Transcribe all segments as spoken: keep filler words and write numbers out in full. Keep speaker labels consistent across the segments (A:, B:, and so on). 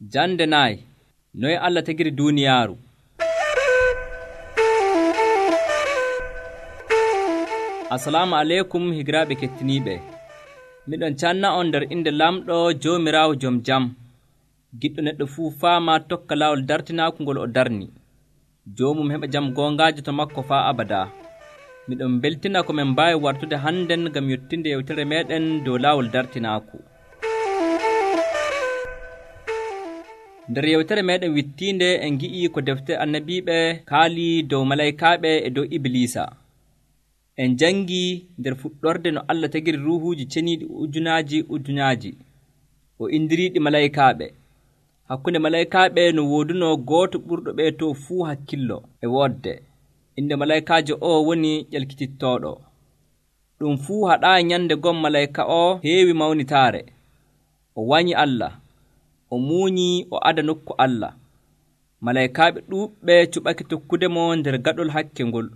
A: Jande nayi noye Allah tagiri duuniyaaru. Assalamu aleykum higiraaɓe kettiniiɓe. Miɗon canna on nder inde lamɗo Joomiraawo jom jam. Giɗɗo neɗɗo fuu faama tokka laawol dartinaaku ngol o darni. Joomum heɓa jam goongaajo to makko faa abadaa. Miɗon beltina ko men mbaawi wartude hannden ngam yottinde yewtere meeɗen dow laawol dartinaaku. Nder yewtere meeɗen wittiinde en ngi'ii ko defte annabiiɓe kaalii dow malaykaaɓe e dow Ibliisa. En janngii nder fuɗɗorde no Allah tagiri ruuhuuji ceniiɗi ujunaaji ujunaaji o indiriiɗi malaykaaɓe. Hakkunde malaykaaɓe no woodunoo gooto ɓurɗo ɓee too fuu hakkillo e woodde. Inde malaykaajo oo woni ƴelkitittooɗo. Ɗum fuu haɗaayi nyande gom malayka oo heewi mawnitaare. O wanyi Allah. O muunyii o ada nokku Allah. Malaykaaɓe ɗuuɓɓe cuɓake tokkudemo nder gaɗol hakke ngol.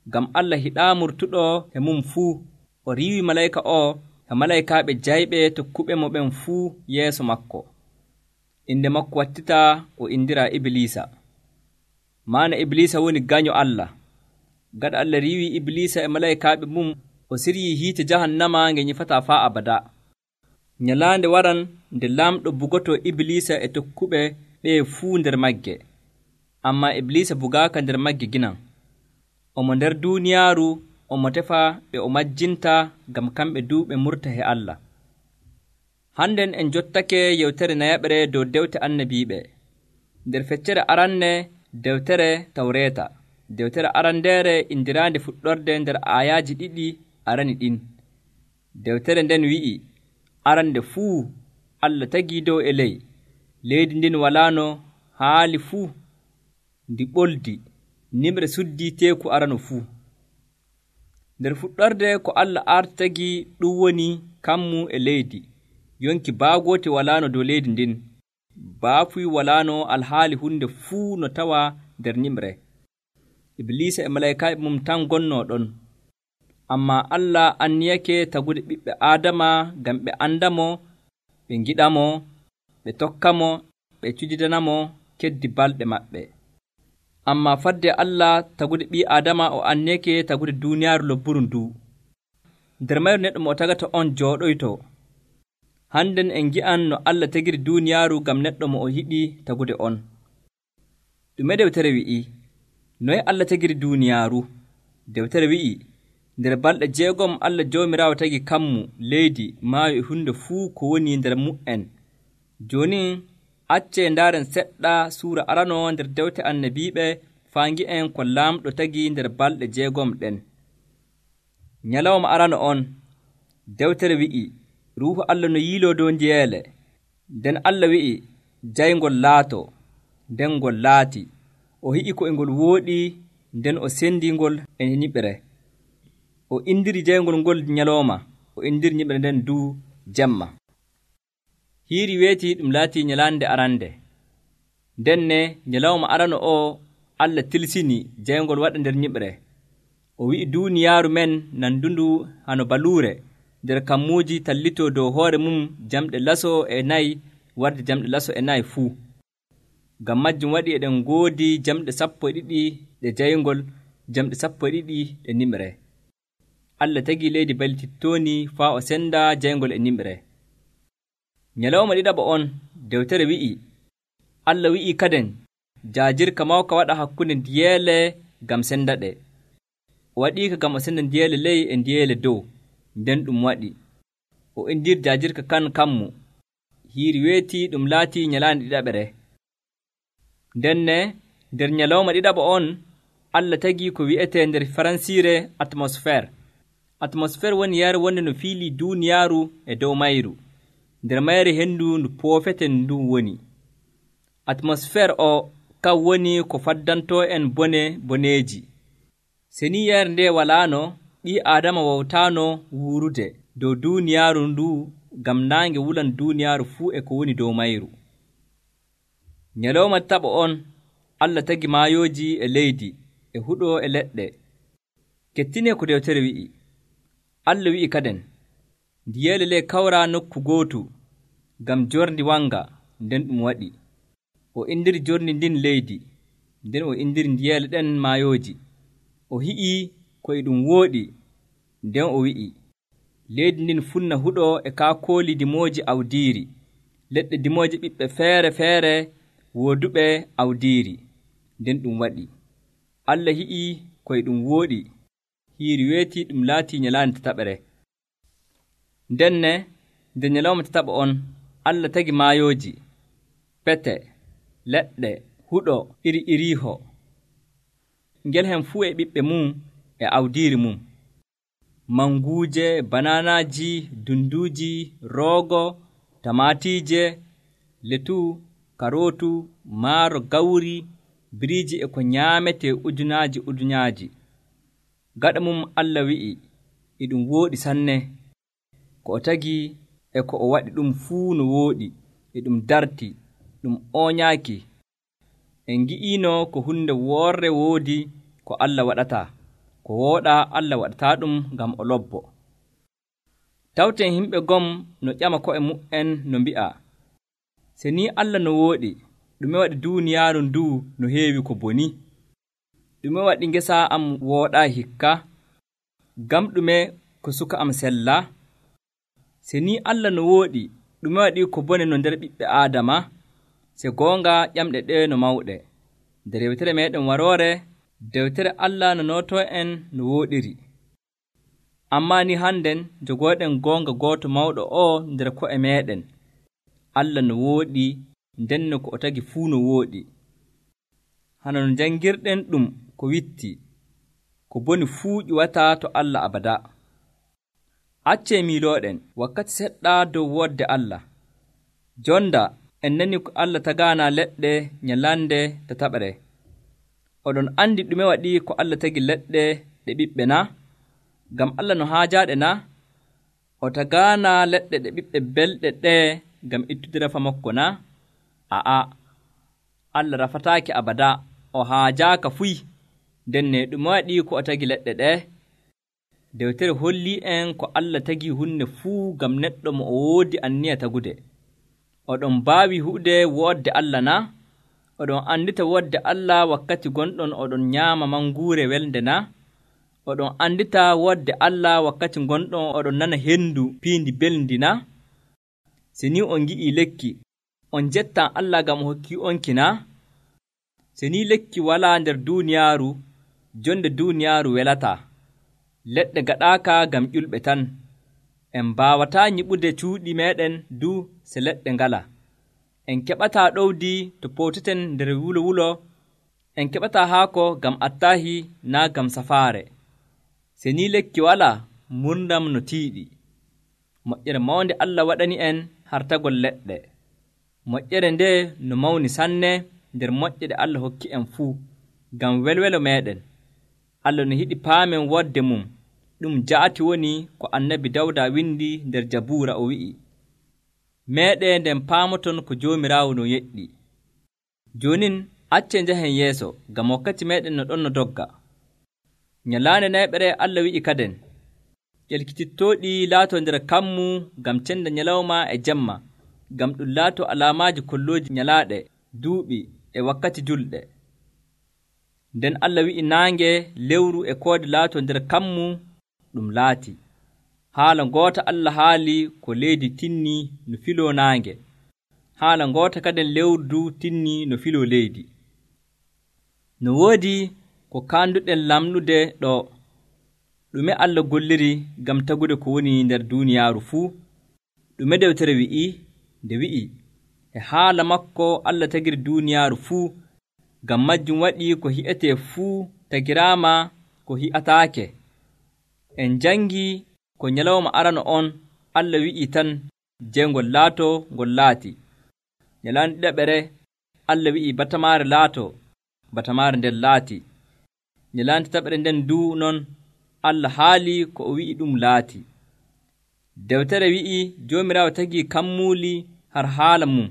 A: Ngam Allah hiɗaa murtuɗo e mum fuu. O riiwi malayka oo e malaykaaɓe jayɓe tokkuɓe mo ɓen fuu yeeso makko. Inde makko wattitaa o indiraa Ibliisa. Maana Ibliisa woni gaño Allah. Gaɗa Allah riiwi Ibliisa e malaykaaɓe mum, o siryii hiite jahannama nge nyifataa faa abadaa. Nyalaande waran nde laamɗo bugotoo Ibliisa e tokkuɓe ɓee fuu nder magge. Ammaa Ibliisa bugaaka nder magge ginan. Omo nder duuniyaaru omo tefa ɓe o majjinta ngam kamɓe duu ɓe murta he Allah. Hannden en jottake yewtere nayaɓere dow dewte annabiiɓe. Nder feccere aranne dewtere Tawreeta. Dewtere arandeere indiraande fuɗɗorde nder aayaaji ɗiɗi arani ɗin. Dewtere nden wi'i, arande fuu Allah tagii dow e ley. Leydi ndin walaano haali fuu ndi ɓoldi. Nimre suddii teeku arano fuu. Nder fuɗɗorde ko Allah arti tagii ɗum woni kammu e leydi. Yonki baagooti walaano dow leydi ndin. Baafuy walaano alhaali hunde fuu no tawaa nder nimre. Ibliisa e malaykaaɓe mum tan gonnoo ɗon. Ammaa Allah anniyake tagude ɓiɓɓe Aadama ngam ɓe andamo, ɓe ngiɗamo, ɓe tokkamo, ɓe cujidanamo keddi balɗe maɓɓe. Ammaa fadde Allah tagude ɓii Aadama o anniyake tagude duuniyaaru lobburu nduu. Nder mayru neɗɗo mo o tagata on jooɗoytoo. Hannden en ngi'an no Allah tagiri duuniyaaru ngam neɗɗo mo o yiɗi tagude on. Ɗume dewtere wi'i? Noye Allah tagiri duuniyaaru? Dewtere wi'i, nder balɗe jeegom Allah Joomiraawo tagi kammu, leydi, maayo e hunde fuu ko woni nder mu'en. Jooni accee ndaaren seɗɗa suura arano nder dewte annabiiɓe faa ngi'en ko laamɗo tagi nder balɗe jeegom ɗen. Nyalawma arano on, dewtere wi'i, Ruuhu Allah no yiiloo dow njiyeele. Nden Allah wi'i, jayngol laatoo, nden ngol laati. O hi'i ko e ngol wooɗi, nden o sendii ngol e nyiɓre. O indiri jayngol ngol nyalooma, o indiri nyiɓre nden duu jemma. Hiiri weeti ɗum laatii nyalaande arande. Ndenne nyalawma arano oo Allah tilsini jayngol waɗa nder nyiɓre. O wi'i duuniyaaru men nandundu hano baluure, nder kammuuji tallitoo dow hoore mum jamɗe laso e nayi warde jamɗe laso e nayi fuu. Ngam majjum waɗi eɗen ngoodi jamɗe sappo e ɗiɗi ɗe jayngol, jamɗe sappo e ɗiɗi ɗe nimre. Allah tagii leydi baltittooni faa o senda jayngol e nimre. Nyalawma ɗiɗaɓo on, dewtere wi'i, Allah wi'i kaden, jaajirka mawka waɗa hakkunde ndiyeele ngam senda ɗe. O waɗiika ngam o senda ndiyeele ley e ndiyeele dow, nden ɗum waɗi. O indiri jaajirka kan kammu. Hiiri weeti ɗum laatii nyalaande ɗiɗaɓere. Ndenne nder nyalawma ɗiɗaɓo on, Allah tagii ko wi'etee nder Faransiire atmosfér. Atmosfér woni yare wonde no fiilii duuniyaaru e dow mayru. Nder mayre henndu ndu poofeten ndun woni. Atmosfér o kan woni ko faddantoo en bone boneeji. Senii yare nde walaano, ɓii Aadama wawtaano wuurude dow duuniyaaru nduu ngam naange wulan duuniyaaru fuu e ko woni dow mayru. Nyalawma taɓo on, Allah tagi maayooji e leydi, e huɗo e leɗɗe. Kettinee ko dewtere wi'i. Allah wi'i kaden, ndiyeele ley kawraa nokku gootu, ngam jorndi wanga, nden ɗum waɗi. O indiri jorndi ndin leydi, nden o indiri ndiyeele ɗen maayooji. O hi'ii ko e ɗum wooɗi, nden o wi'i, leydi ndin funna huɗo e kaakooli dimooji awdiiri, leɗɗe dimooje ɓiɓɓe feere feere wooduɓe awdiiri, nden ɗum waɗi. Allah hi'ii ko e ɗum wooɗi, hiiri weeti ɗum laatii nyalaande tataɓere. Ndenne nde nyalawma tataɓo on, Allah tagi maayooji, pete, leɗɗe, huɗo iri iriiho, ngel hen fuu e ɓiɓɓe mum e awdiiri mum. Manguuje, bananaaji, dunduuji, roogo, tamaatiije, letu, karootu, maaro, gawri, biriiji e ko nyaametee ujunaaji ujunaaji. Gaɗa mum Allah wi'i, e ɗum wooɗi sanne. Ko o tagi e ko o waɗi ɗum fuu no wooɗi, e ɗum darti, ɗum ooñaaki. En ngi'iino ko hunde woorre woodi ko Allah waɗataa, ko wooɗaa Allah waɗataa ɗum ngam o lobbo. Tawten himɓe gom no ƴama ko'e mu'en no mbi'a, se ni Allah no wooɗi, ɗume waɗi duuniyaaru nduu no heewi ko boni? Ɗume waɗi ngesa am wooɗaa hikka? Gam ɗume ko suka am sella? Se ni Allah no wooɗi, ɗume waɗi ko bone no nder ɓiɓɓe Aadama? Se goonga ƴamɗe ɗe no mawɗe. Nder yewtere meeɗen waroore, dewtere Allah no nootoo en no wooɗiri. Ammaa ni hannden jogooɗen goonga gooto mawɗo o nder ko'e meeɗen. Allah no wooɗi, ndenno ko o tagi fuu no wooɗi. Hana no janngirɗen ɗum ko witti, ko boni fuu ƴuwataa to Allah abada. Accee miilooɗen wakkati seɗɗa dow woodde Allah. Jonda en nani ko Allah tagaana leɗɗe nyalande tataɓere. Oɗon andi ɗume waɗi ko Allah tagi leɗɗe ɗe ɓiɓɓe na? Ngam Allah no haajaaɗe na? O tagaana leɗɗe ɗe ɓiɓɓe belɗe ɗe ngam ittude rafa makko na? A'a, Allah rafataaki abada, o haajaaka fuy. Ndenne ɗume waɗi ko o tagi leɗɗe ɗe? Dewtere hollii en ko Allah tagi hunde fuu ngam neɗɗo mo o woodi anniya tagude. Oɗon mbaawi hu'ude woodde Allah na? Oɗon andita woodde Allah wakkati gonɗon oɗon nyaama manguure welde na? Oɗon andita woodde Allah wakkati gonɗon oɗon nana hendu piindi belndi na? Se ni on ngi'ii lekki, on jettan Allah ngam o hokkii onki na? Se ni lekki walaa nder duuniyaaru, jonde duuniyaaru welataa. Leɗɗe gaɗaaka ngam ƴulɓe tan. En mbaawataa nyiɓude cuuɗi meeɗen du se leɗɗe ngala. En keɓataa ɗowdi to pooteten nder wulo wulo. En keɓataa haako ngam attaahi naa ngam safaare. Se ni lekki walaa, murndam no tiiɗi. Moƴƴere mawnde Allah waɗani en hartagol leɗɗe. Moƴƴere nde no mawni sanne nder moƴƴe ɗe Allah hokki en fuu, ngam welwelo meeɗen. Allah no yiɗi paamen woodde mum. Ɗum jaati woni ko annabi Dawda windi nder Jabuura o wi'i, meeɗe nden paamoton ko Joomiraawo no yeɗɗi. Joonin accee njahen yeeso, ngam wakkati meeɗen no ɗon no dogga. Nyalaande nayɓere Allah wi'i kaden, ƴelkitittooɗi laatoo nder kammu ngam cenda nyalawma e jemma, ngam ɗum laatoo alaamaaji kollooji nyalaaɗe, duuɓi e wakkati julɗe. Nden Allah wi'i naange, lewru e koode laatoo nder kammu ɗum laati. Haala ngoota Allah haali ko leydi tinni no filoo naange. Haala ngoota kaden lewru tinni no filoo leydi. No woodi ko kaanduɗen lamnude ɗo. Ɗume Allah golliri ngam tagude ko woni nder duuniyaaru fuu? Ɗume dewtere wi'i? Nde wi'i, e haala makko Allah tagiri duuniyaaru fuu, ngam majjum waɗi ko hi'etee fuu tagiraama ko hi'ataake. En jangi ko nyalawma arano on Allah wi'i tan jeygol laatoo ngol laati. Nyalaande ɗiɗaɓere Allah wi'i batamaare laatoo, batamaare nden laati. Nyalaande tataɓere nden duu non Allah haali ko o wi'i ɗum laati. Dewtere wi'i Joomiraawo tagi kammuuli har haala mum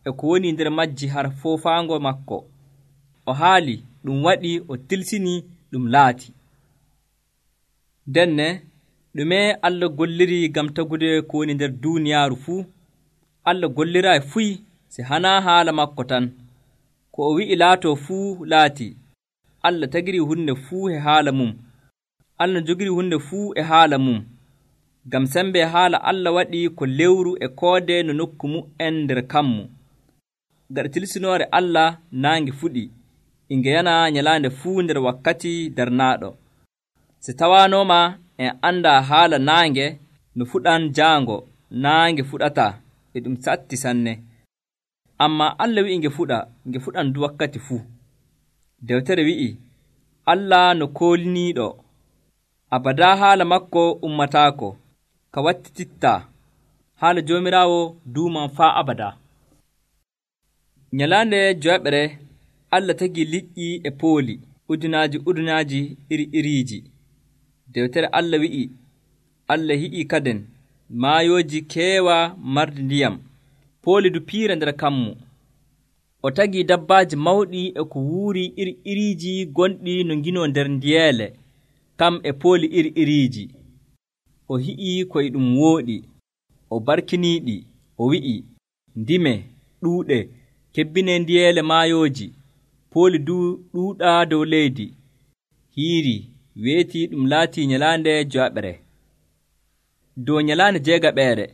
A: e ko woni nder majji har foofaango makko. O haali ɗum waɗi o tilsini ɗum laati. Denne ɗume Allah golliri ngam tagude ko woni nder duuniyaaru fuu? Allah golliraayi fuy si hanaa haala makko tan. Ko o wi'i laatoo fuu laati. Allah tagiri hunde fuu e haala mum. Allah jogiri hunde fuu e haala mum. Ngam sembe haala Allah waɗi ko lewru e koode no nokku mu'en nder kammu. Gaɗa tilsinoore Allah naange fuɗi, inge yana nyalaande fuu nder wakkati darnaaɗo. Si tawaanooma en anndaa haala naange no fuɗan jaango, naange fuɗataa e ɗum satti sanne. Ammaa Allah wi'i nge fuɗa, nge fuɗan du wakkati fuu. Dewtere wi'i, Allah no kooliniiɗo, abadaa haala makko ummataako, ka wattitittaa, haala Joomiraawo duuman faa abadaa. Nyalaande joweeɓre Allah tagi liƴƴi e pooli, ujunaaji ujunaaji iri iriiji. Dewtere Allah wi'i, Allah hiƴii kaden maayooji keewa mardi ndiyam, pooli du piira nder kammu. O tagii dabbaaji mawɗi e ko wuuri iri iriiji gonɗi no nginoo nder ndiyeele, kam e pooli iri iriiji. O hi'ii koye ɗum wooɗi, o barkiniiɗi, o wi'i, ndime, ɗuuɗe, kebbinee ndiyeele maayooji, pooli du ɗuuɗaa dow leydi. Hiiri, weetii ɗum laatii nyalaande jowaɓere. Dow nyalaande jeegaɓeere,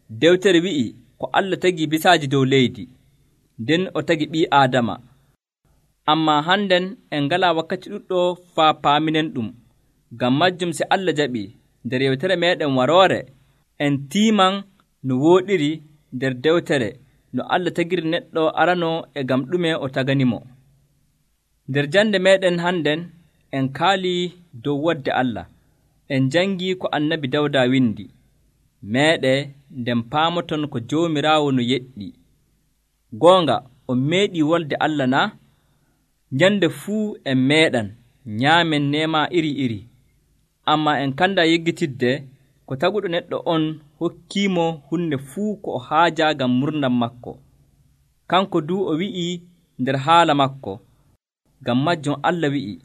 A: dewtere wi'i ko Allah tagi bisaaji dow leydi, nden o tagi ɓii Aadama. Ammaa hannden en ngalaa wakkati ɗuɗɗo faa paaminen ɗum. Ngam majjum si Allah jaɓii, nder yewtere meeɗen waroore, en tiiman no wooɗiri nder dewtere no Allah tagiri neɗɗo arano e ngam ɗume o taganimo. Nder jande meeɗen hannden en kaalii dow wodde Allah. En jangii ko annabi Dawda windi. Meeɗe nden paamoton ko Joomiraawo no yeɗɗi. Goonga on meeɗii wolde Allah na? Nyande fuu en meeɗan nyaamen neema iri iri. Ammaa en kanda yeggitidde ko taguɗo neɗɗo on hokkiimo hunde fuu ko o haajaa ngam murdam makko. Kanko duu o wi'ii nder haala makko. Ngam majjum Allah wi'i,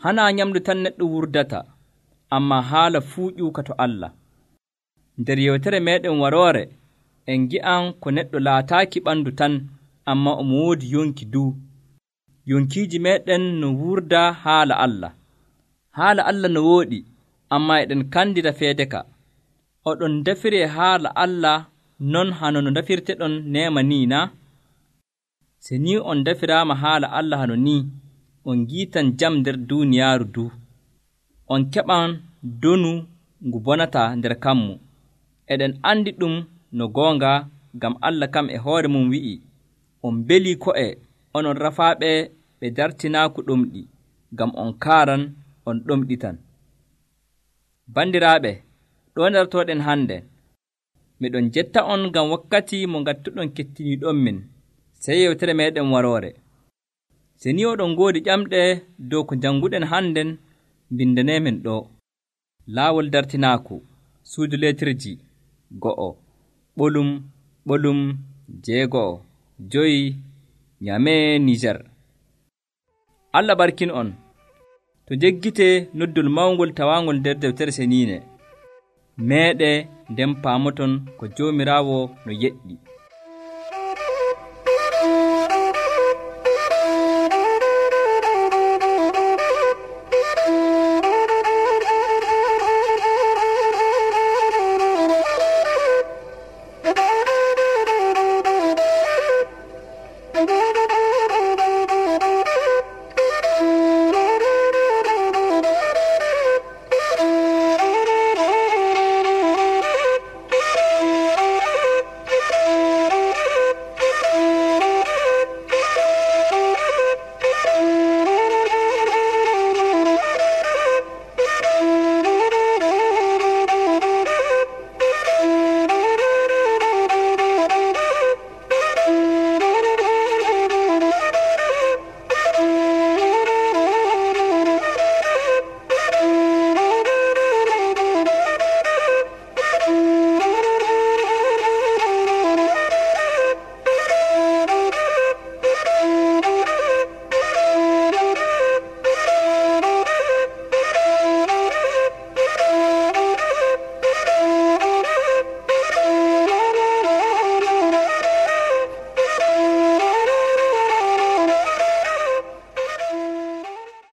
A: hanaa nyamdu tan neɗɗo wurdata, ammaa haala fuu ƴuuka to Allah. Nder yewtere meeɗen waroore, en ngi'an ko neɗɗo laataaki ɓandu tan, ammaa omo woodi yonki duu. Yonkiiji meeɗen no wurda haala Allah. Haala Allah no wooɗi, ammaa eɗen kandira feede ka. Oɗon ndefiree haala Allah non hano no ndefirteɗon neema nii na? Se ni on ndefiraama haala Allah hano nii, on ngiitan jam nder duuniyaaru duu. On keɓan donu ngu bonataa nder kammu. Eɗen andi ɗum no goonga, ngam Allah kam e hoore mum wi'i, on belii ko'e onon rafaaɓe ɓe dartinaaku ɗomɗi, ngam on kaaran on ɗomɗitan. Bandiraaɓe, ɗo ndartoɗen hannde. Miɗon jetta on ngam wakkati mo ngattuɗon kettiniiɗon min, sey yewtere meeɗen waroore. Se ni oɗon ngoodi ƴamɗe dow ko jannguɗen hannden, mbindaneemin ɗo. Laawol dartinaaku, suudu leetirji, go'o, ɓolum, ɓolum, jeego'o, joyi, Nyamee, Nijar. Allah barkin on. To jeggitee noddol mawngol tawaangol nder deftere seniine. Meeɗe nden paamoton ko Joomiraawo no yeɗɗi.